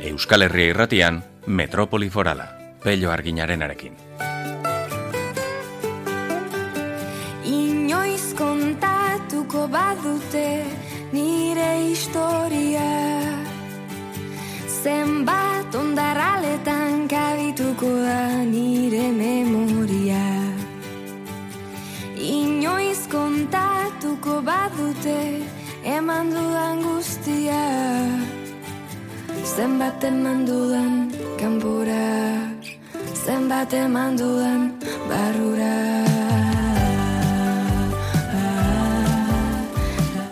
Euskal Herria Irratian, Metropoli Forala, Pello Arginarenarekin. Inoiz kontatuko badute nire historia, zenbat ondarraletan kabituko da nire memoria. Inoiz kontatuko badute eman dudan guztia, zenbat eman dudan kanpora, zenbat eman dudan barrura.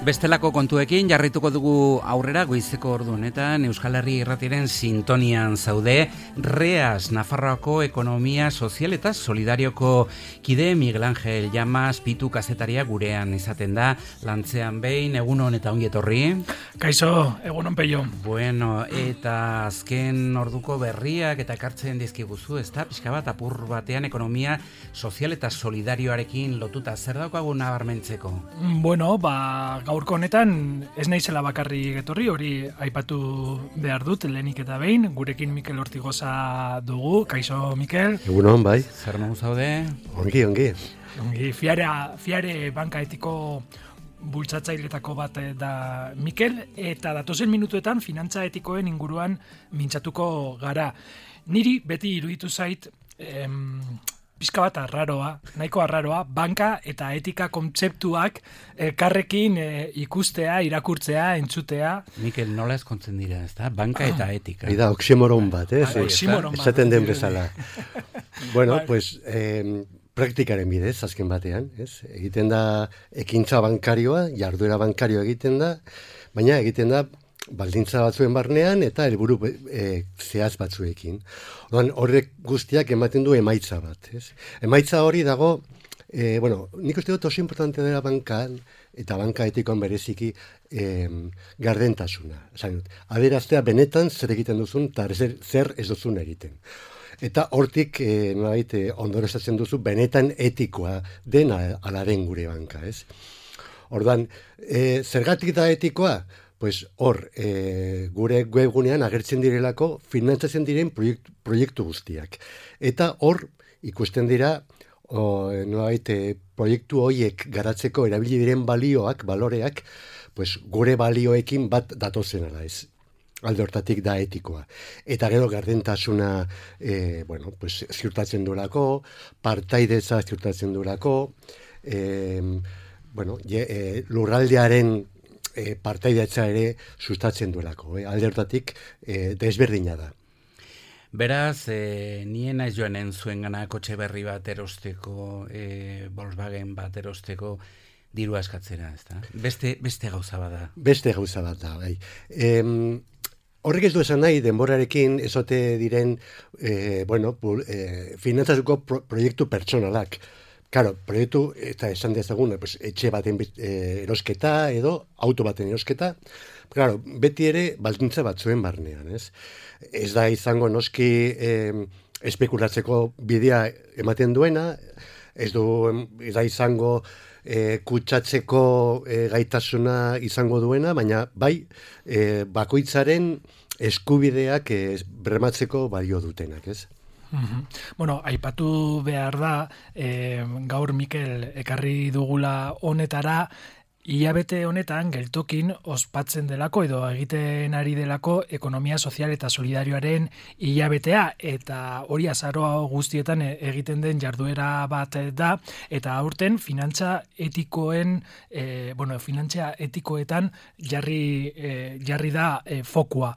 Bestelako kontuekin jarrituko dugu aurrera goizeko ordu honetan Euskal Herri Irratiaren sintonian zaude. Reas, Nafarroako ekonomia sozial eta solidarioko kide Miguel Ángel Llamas Pitu kazetaria gurean izaten da, lantzean behin, egunon eta ongi etorri. Kaixo, egunon Pello. Bueno, eta azken orduko berriak eta ekartzen dizkiguzu, ezta? Pixka bat apur batean ekonomia sozial eta solidarioarekin lotuta, zer daukagu nabarmentzeko? Bueno, gaurko honetan ez naizela bakarrik etorri, hori aipatu behar dut lehenik eta behin, gurekin Mikel Ortigoza dugu. Kaixo, Mikel. Egunon, bai. Zer modu zaude? Ongi. Fiare banka etiko bultzatzailetako bat da Mikel, eta datozen minutuetan finantza etikoen inguruan mintzatuko gara. Niri beti iruditu zait pizka bat nahiko arraroa, banka eta etika kontzeptuak elkarrekin ikustea, irakurtzea, entzutea. Mikel, nola ezkontzen dira, ezta? Banka eta etika. Bida, oximoron bat, Oximoron bat. Esaten den bezala. Bueno, pues, praktikaren bidez, azken batean, ez? Egiten da ekintza bankarioa, jarduera bankarioa egiten da, baina egiten da baldintza batzuen barnean eta helburu zehaz batzuekin. Orduan, horrek guztiak ematen du emaitza bat, ez? Emaitza hori dago, nik uste dut oso importante dela bankan, eta banka etikoan bereziki gardentasuna. Adieraztea benetan zer egiten duzun, eta zer ez duzun egiten. Eta hortik ondorioztatzen duzu benetan etikoa den ala den gure banka, ez? Orduan, zergatik da etikoa? Pues hor, gure webgunean agertzen direlako finantzatzen diren proiektu guztiak. Eta hor ikusten dira proiektu horiek garatzeko erabili diren baloreak, pues gure balioekin bat datozen ala ez. Alde hortatik da etikoa. Eta gero gardentasuna ziurtatzen duelako, partaidetza ziurtatzen duelako, lurraldearen partaidetza ere sustatzen duelako. Alde hortatik desberdina da. Beraz, nien naiz joanen zuen gana kotxe berri bat erosteko, Volkswagen bat erosteko, dirua eskatzera, ezta? Beste gauza bat da. Beste gauza bat da, bai. Horrek ez du esan nahi, denborarekin ezote diren, finantzatuko proiektu pertsonalak. Claro, proiektu, eta esan dezagun, etxe baten erosketa edo auto baten erosketa, claro, beti ere baldintza batzuen barnean, ez? Ez da izango noski espekulatzeko bidea ematen duena, ez da izango kutsatzeko gaitasuna izango duena, baina bai bakoitzaren eskubideak bermatzeko balio dutenak, ez? Bueno, aipatu behar da, gaur Mikel ekarri dugula honetara, hilabete honetan geltokin ospatzen delako edo egiten ari delako ekonomia sozial eta solidarioaren hilabetea, eta hori azaroa guztietan egiten den jarduera bat da, eta aurten finantza etikoetan jarri da fokua.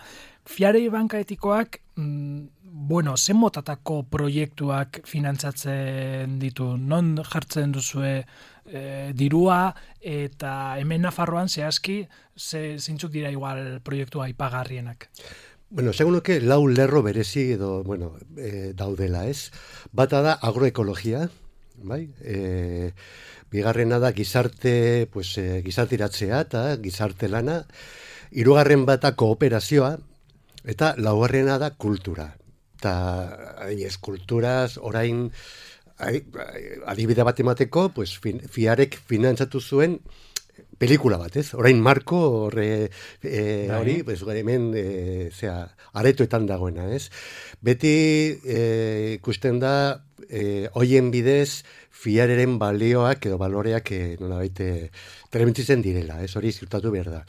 Fiare banka etikoak, zen motatako proiektuak finantzatzen ditu? Non jartzen duzue dirua, eta hemen Nafarroan zehazki zeintzuk dira igual proiektua aipagarrienak? Esango nuke lau lerro berezi edo, daudela, ez? Bata da agroekologia, bai? Bigarrena da gizarteratzea eta gizarte lana. Hirugarren bata kooperazioa, eta laugarrena da kultura. Eta kulturaz orain adibide bat emateko, fiarek finantzatu zuen pelikula bat, ez? Orain Marko hori, pues, hemen aretoetan dagoena, ez? Beti ikusten da hoien bidez fiareren balioak edo baloreak nolabait trementzitzen direla, ez? Hori ziurtatu behar da.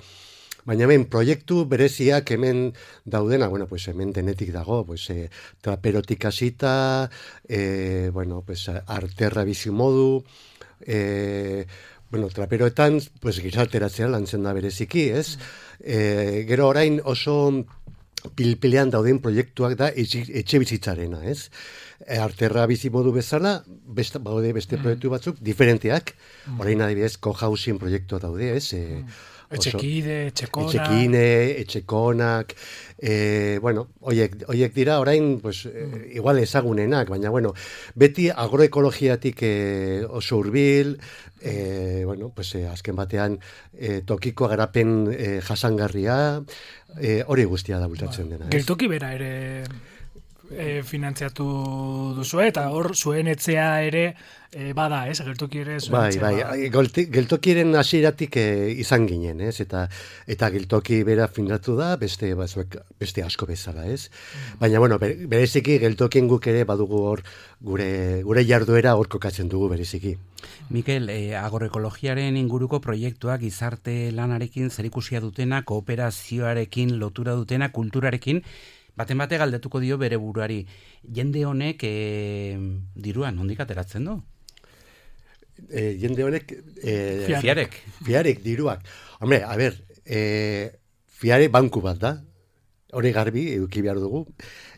Baina hemen proiektu bereziak hemen daudena, bueno, pues hemen denetik dago, pues traperotik hasita, bueno, pues arterra bizimodu, bueno, traperoetan, pues gizarteratzea lantzen da bereziki, ez? Gero orain oso pilpilean dauden proiektuak da etxe bizitzarena, ez? Arterra bizimodu bezala, beste proiektu batzuk diferenteak, orain adibidez co-housing proiektua daude, ez? Etxekonak, bueno, oiek dira orain, pues, igual ezagunenak, baina, bueno, beti agroekologiatik oso hurbil, bueno, pues, azken batean tokiko garapen jasangarria, hori guztia da bultatzen dena. Geltoki bera ere finantziatu duzu, eta hor zuen etzea ere bada, ez? Geltoki ere zuen etzea. Geltokiren hasieratik izan ginen, ez? Eta geltoki bera finatu da, beste asko bezala, ez? Baina, bueno, bereziki geltokien guk ere badugu hor gure jarduera hor kokatzen dugu bereziki. Mikel, agroekologiaren inguruko proiektuak gizarte lanarekin zerikusia dutena, kooperazioarekin lotura dutena, kulturarekin, baten bate galdetuko dio bere buruari. Jende honek diruan, nondik ateratzen du? Jende honek... Fiarek diruak. Hombre, a ber, fiare banku bat da. Hori garbi, eduki behar dugu.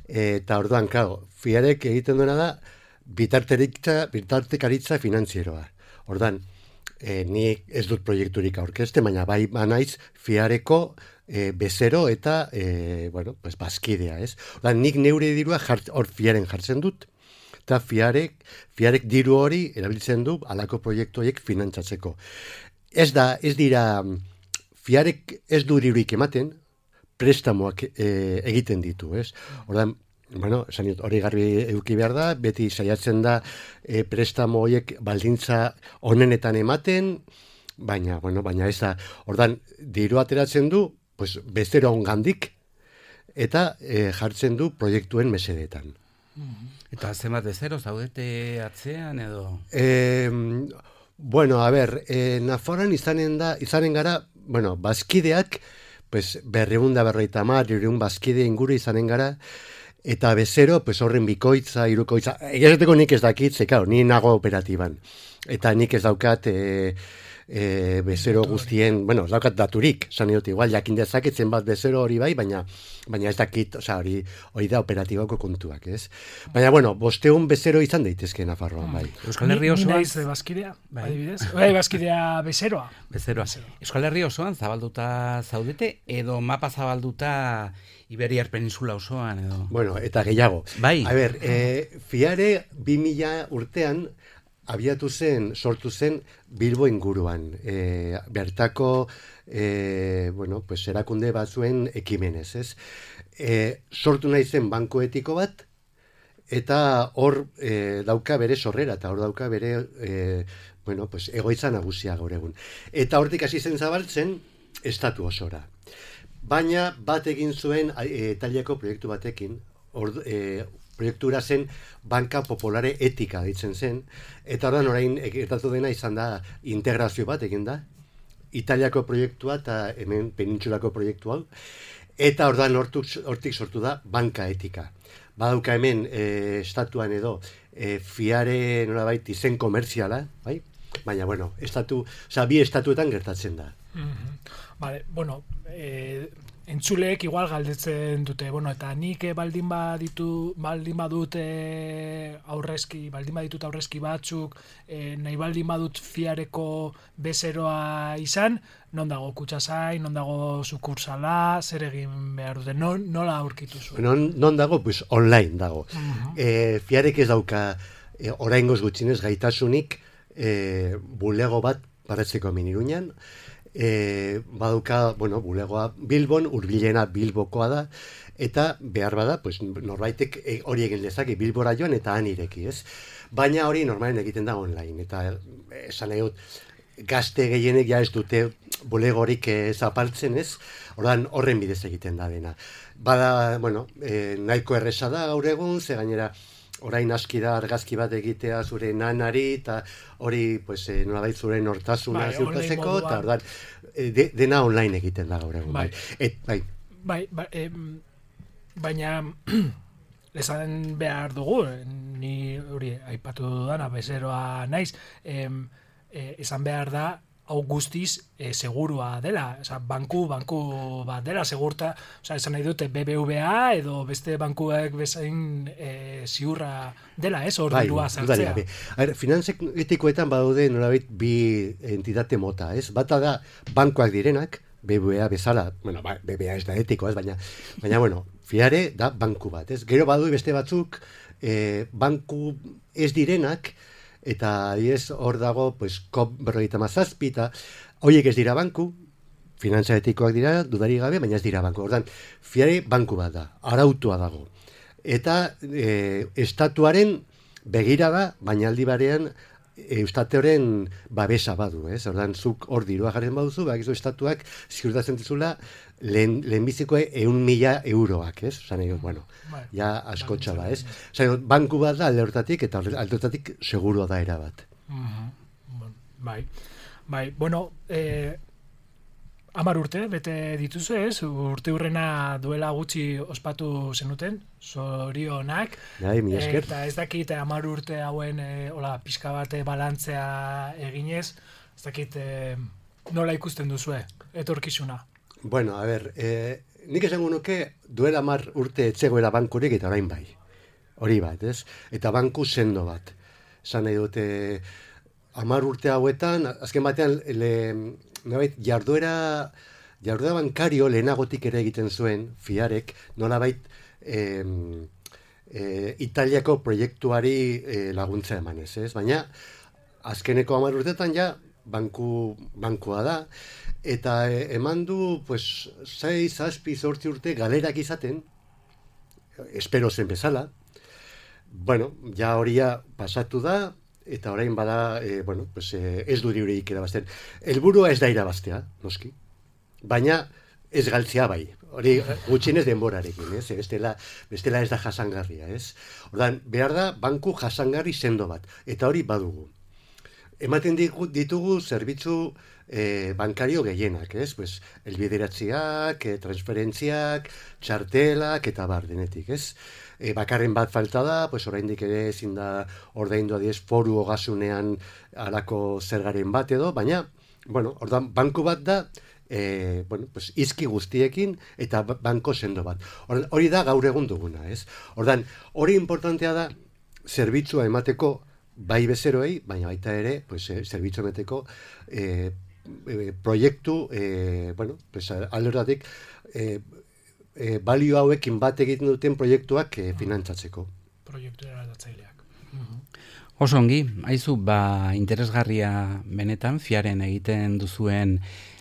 Eta orduan, claro, fiarek egiten duena da bitartekaritza finanzieroa. Orduan, ni ez dut proiekturik aurkezte, baina bai banaiz fiareko bezero eta bueno, pues bazkidea, ez? Orduan, nik neure dirua hor fiaren jartzen dut, eta fiarek diru hori erabiltzen du halako proiektu horiek finantzatzeko. Ez dira, fiarek ez du dirurik ematen, prestamoak egiten ditu, ez? Orduan, bueno, hori garbi eduki behar da, beti saiatzen da prestamo horiek baldintza onenetan ematen, baina ez da, ordan diru ateratzen du, pues, bezero ongandik, eta jartzen du proiektuen mesedetan. Eta zenbat bezero zaudete atzean edo? Bueno, a ber, Nafarroan izanen gara, bueno, bazkideak, pues, 250 bazkide inguru izanen gara, eta bezero, pues, horren bikoitza, hirukoitza, egizateko nik ez dakit, claro, ni nago operatiban. Eta nik ez daukat bezero guztien, bueno, ez daukat daturik, zan dut, igual, jakin dezaketzen bat bezero hori bai, baina ez dakit, hori da operatibako kontuak, ez? Baina, bueno, 500 bezero izan daitezke Nafarroan, bai. Euskal Herri osoan... Ni naiz bazkidea, adibidez? Bai, bazkidea bezeroa. Euskal Herri osoan zabalduta zaudete, edo mapa zabalduta Iberiar Peninsula osoan, edo? Bueno, eta gehiago. Bai. A ber, fiare 2000 urtean sortu zen Bilbo inguruan. Bertako, bueno, pues erakunde batzuen ekimenez, ez? Sortu nahi zen banko etiko bat, eta hor dauka bere sorrera, eta hor dauka bere, bueno, pues egoitza nagusia gaur egun. Eta hortik hasi zen zabaltzen, estatu osora. Baina bat egin zuen Italiako proiektu batekin, proiektura zen Banka Popolare Etika ditzen zen, eta orain gertatu dena izan da integrazio bat egin da, Italiako proiektua eta hemen penintsulako proiektu hau, eta hortik sortu da Banka Etika. Badauka hemen estatuan edo fiare nolabait izen komertziala, bai? Baina, bueno, bi estatuetan gertatzen da. Vale, bueno, entzuleek igual galdetzen dute, bueno, eta nik baldin badut aurrezki batzuk, nahi baldin badut fiareko bezeroa izan, non dago kutxazain, non dago sukursala, zer egin behar dute, nola aurkitu zuen? Non dago, pues online dago. Fiarek ez dauka oraingoz gutxinez gaitasunik bulego bat paratzeko Iruñan, baduka, bueno, bulegoa Bilbon, hurbilena Bilbokoa da, eta behar bada, pues, norbaitek hori egin dezake Bilbora joan eta han ireki, ez? Baina hori normalen egiten da online, eta esan nahi dut, gazte gehienek ja ez dute bulegorik zapaltzen, ez? Ordan horren bidez egiten da dena. Bada, bueno, nahiko erresa da gaur egun, ze gainera orain aski da argazki bat egitea zure nanari, eta hori, pues, nolabait zure nortasuna ziurtatzeko, eta ordan, dena online egiten da gaur egun. Baina esan behar dugu, ni hori aipatu dudana, bezeroa naiz, esan behar da, hau guztiz segurua dela, banku bat dela, segurta, esan nahi dute BBVA edo beste bankuek bezain ziurra dela, hor dirua sartzea. Finantza etikoetan badaude nolabait bi entitate mota, ez? Bata da bankuak direnak, BBVA bezala, bueno, BBVA ez da etiko, ez, baina bueno, fiare da banku bat, ez? Gero badu beste batzuk banku ez direnak, eta hor dago, pues, COP57, eta horiek ez dira banku, finantza etikoak dira, dudarik gabe, baina ez dira banku. Ordan, fiare banku bat da, arautua dago. Eta estatuaren begira da, baina aldi barean eustateoren babesa badu, ez? Ordan, zuk hor dirua jarren baduzu, bakizu estatuak ziurtatzen dizula lehenbiziko 100.000 euroak, ez? Osan, bueno, ja askotxa ba, ez? Osan, banku bat da alde hortatik, eta alde hortatik segurua da erabat. Bai, bueno, 10 urte, bete dituzu, ez? Urte hurrena duela gutxi ospatu zenuten, zorionak. Bai, mila esker. Eta ez dakit 10 urte hauen pixka bat balantzea eginez, ez dakit nola ikusten duzue, etorkizuna. Bueno, a ver, nik esango nuke duela 10 urte etzegoela bankurik eta orain bai. Hori bat, ez? Eta banku sendo bat. Esan nahi dute 10 urte hauetan, azken batean, jarduera bankario lehenagotik ere egiten zuen, fiarek, nolabait Italiako proiektuari laguntza emanez, ez? Baina, azkeneko 10 urtetan ja, bankua da, eta eman du, pues, 6, 7, 8 urte galerak izaten, espero zen bezala. Bueno, ja horia pasatu da, eta orain bada, bueno, pues, ez du diurik irabazten. Helburua ez da irabaztea, noski, baina ez galtzea bai. Hori gutxienez denborarekin, ez? Bestela ez da jasangarria, ez? Ordan, behar da banku jasangarri sendo bat, eta hori badugu. Ematen ditugu zerbitzu bankario gehienak, ez? Pues, elbideratziak, transferentziak, txartelak, eta bar denetik, ez? Bakarren bat falta da, pues, oraindik ere ezin da ordaindu adiez foru ogasunean alako zergaren bat edo, baina, bueno, ordan banku bat da, bueno, pues, izki guztiekin eta banko sendo bat. Hori da gaur egun duguna, ez? Ordan, hori importantea da, zerbitzua emateko bai bezeroei, baina baita ere, pues, zerbitzu emateko proiektu, bueno, pues, aldoratik, balio hauekin bat egiten duten proiektuak finantzatzeko. Proiektu eraldatzaileak. Oso ongi, haizu, interesgarria benetan, fiaren egiten duzuen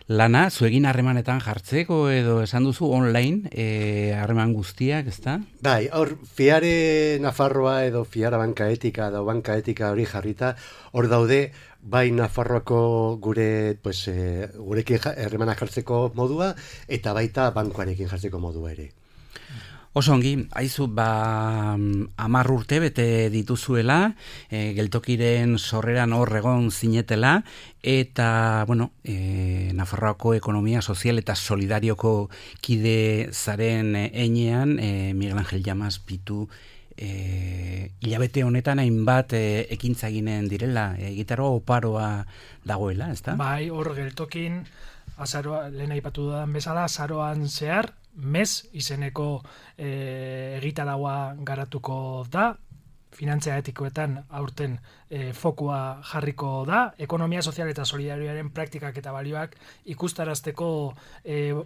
lana, zuegin harremanetan jartzeko edo esan duzu online harreman guztiak, ezta? Bai, hor fiare Nafarroa edo fiara banka etika edo banka etika hori jarrita, hor daude bai Nafarroako gure, pues, gurekin harremanak jartzeko modua eta baita bankuarekin jartzeko modua ere. Oso ongi, haizu, 10 urte bete dituzuela, geltokiren sorreran hor egon zinetela, eta, bueno, Nafarroako ekonomia sozial eta solidarioko kide zaren einean, Miguel Ángel Llamas pitu, hilabete honetan hainbat ekintza eginen direla, gitaro oparoa dagoela, ezta? Bai, hor geltokin, lehen aipatu dudan bezala, azaroan zehar, MES izeneko egitaraua garatuko da, finantza etikoetan aurten fokua jarriko da, ekonomia sozial eta solidarioaren praktikak eta balioak ikustarazteko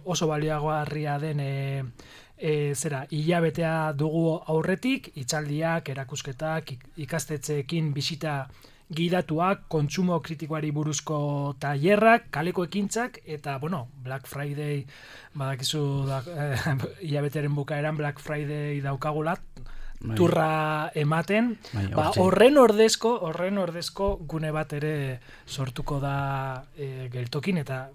oso balioagarria den hilabetea dugu aurretik, hitzaldiak, erakusketak, ikastetxeekin bisita gidatuak, kontsumo kritikoari buruzko tailerrak, kaleko ekintzak, eta, bueno, Black Friday, badakizu, hilabetearen bukaeran Black Friday daukagula, turra ematen, horren ordezko gune bat ere sortuko da geltokin, eta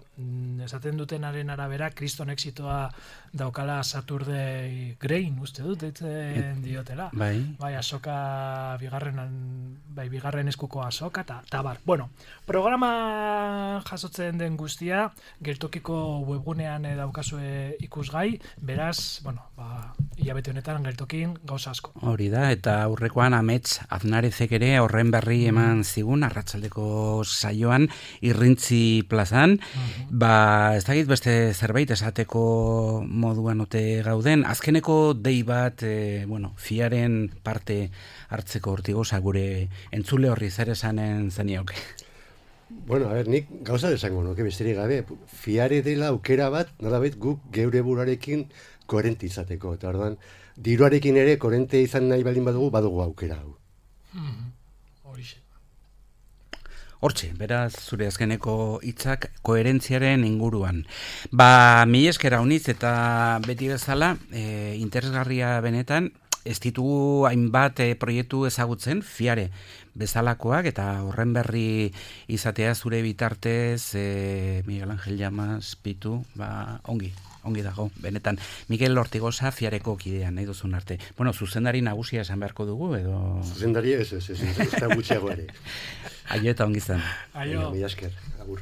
esaten dutenaren arabera kriston exitoa daukala Saturday Grain, uste dut, deitzen diotela. Bai, azoka bigarren eskuko azoka, eta bar. Bueno, programa jasotzen den guztia, geltokiko webgunean daukazue ikusgai, beraz, hilabete honetan geltokin gauza asko. Hori da, eta aurrekoan Amets Aznarezek ere horren berri eman zigun, arratsaldeko saioan, Irrintzi plazan, ez dakit beste zerbait esateko moduan ote gauden, azkeneko dei bat, fiaren parte hartzeko hortigoza gure entzule horri zer esanen zenioke. Bueno, nik gauza desango nuke besterik gabe, fiare dela aukera bat, nolabait guk geure buruarekin koherente izateko, eta orduan, diruarekin ere koherente izan nahi baldin badugu aukera hau. Hortxe, beraz, zure azkeneko hitzak koherentziaren inguruan. Mila esker hauniz eta beti bezala, interesgarria benetan, ez ditugu hainbat proiektu ezagutzen, fiare bezalakoak, eta horren berri izatea zure bitartez, Miguel Ángel Llamas, Pitu, ongi dago, benetan. Mikel Ortigosa fiareko kidean, nahi duzun arte. Zuzendari nagusia esan beharko dugu, edo... Zuzendari ez da gutxiago ere. Aio eta ongi zen. Aio. Mila esker, agur.